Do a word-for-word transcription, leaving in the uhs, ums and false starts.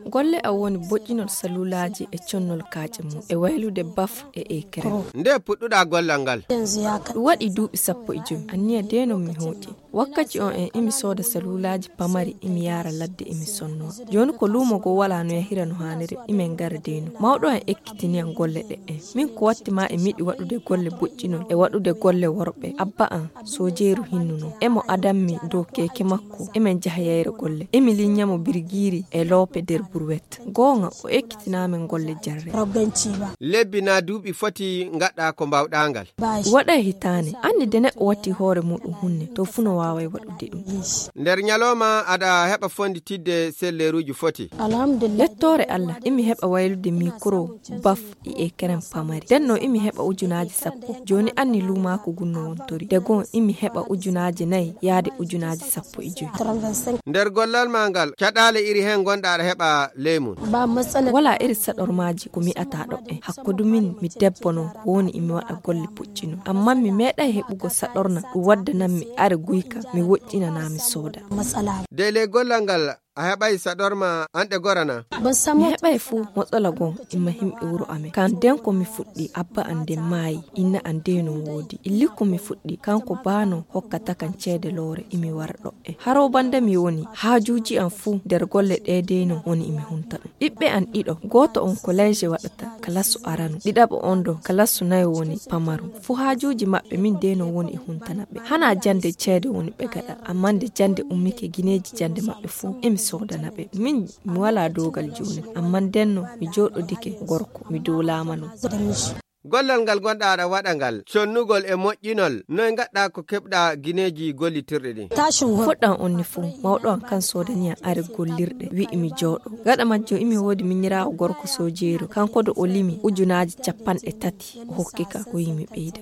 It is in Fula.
Golle am woni boƴƴinol salulaaji e connol kaaƴe mum, e waylude baf e ekere. Nde puɗɗuɗaa gollal ngal? Ɗum waɗi duuɓi sappo e jowi. Anniya deenon mi hooƴi. Wakkati on en imi sooda salulaaji pamari, imi yaara ladde, imi sonno. Jooni ko luumo goo walaa no yahira no haaniri, imin ngara deenon. Mawɗo am ekkitini am golle ɗe en. Min ko watti ma e miɗi waɗude golle boƴƴinol e waɗude golle worɓe. Abba am, soojeeru hinnuno. Emo adammi dow keeke makko, emin njaha yayre golle. Emi linyamo birgiiri e loope nder burwet. Goonga, o ekkitinaa min golle jarre. Lebbi naa duuɓi foti ngaɗɗaa ko mbaawɗaa ngal? Waɗay hitaande. Anni de neɗɗo watti hoore muɗum hunne, to fuu no waaway waɗude ɗum. Nder nyalooma aɗa heɓa fonditidde selleeruuji foti? Yettoore Allah, imi heɓa waylude mikro, baf, e ekeren pamari. Ndenno imi heɓa ujunaaji sappo. Jooni anni luumaaku gun no wontori. De gon imi heɓa ujunaaji nayi yaade ujunaaji sappo e jowi. Nder gollal maa ngal, caɗaale iri heen ngonɗaa aɗa heɓa ley mum? Walaa iri saɗormaaji ko mi ataa ɗo en. Hakkudu min mi debbo non ko woni imi waɗa golle pucci non. Ammaa mi meeɗay heɓugo saɗorna ɗum waddanammi are guyka mi woƴƴinanaa mi sooda. De ley gollal ngal, a heɓay saɗorma an ɗe gorana? Mi heɓay fuu, motsala gon imma himɓe wuro amen. Kan den ko mi fuɗɗi, abba an den maayi, inna an dey non woodi. Illi ko mi fuɗɗi, kanko baa non hokkata kan ceede loore, imi wara ɗo e. Haro banda mi woni, haajuuji an fuu nder golle ɗee dey non woni imi hunta ɗum. Ɓiɓɓe an ɗiɗo, gooto on collège waɗata, kalasu aranu. Ɗiɗaɓo on ɗo, kalasu nayo woni pamaru. Fuu haajuuji maɓɓe min dey non woni e huntana ɓe. Hanaa jande ceede woni ɓe gaɗa, ammaa nde jande ummike gineeji jande maɓɓe fuu, emi soodana ɓe. Min mi walaa doogal jooni, ammaa ndenno mi jooɗodike gorko, mi duulaama non. Gollal ngal ngonɗaa aɗa waɗa ngal, connugol e moƴƴinol, noy ngaɗɗaa ko keɓɗaa gineeji gollitirɗi ɗin? Fuɗɗam on ni fuu, mawɗo am kan soodani am are gollirɗe, wi'i mi jooɗo. Gaɗa majjum imi woodi minyiraawo gorko soojeeru, kanko do o limi ujunaaji cappanɗe tati, o hokki ka, o wi'i mi ɓeyda.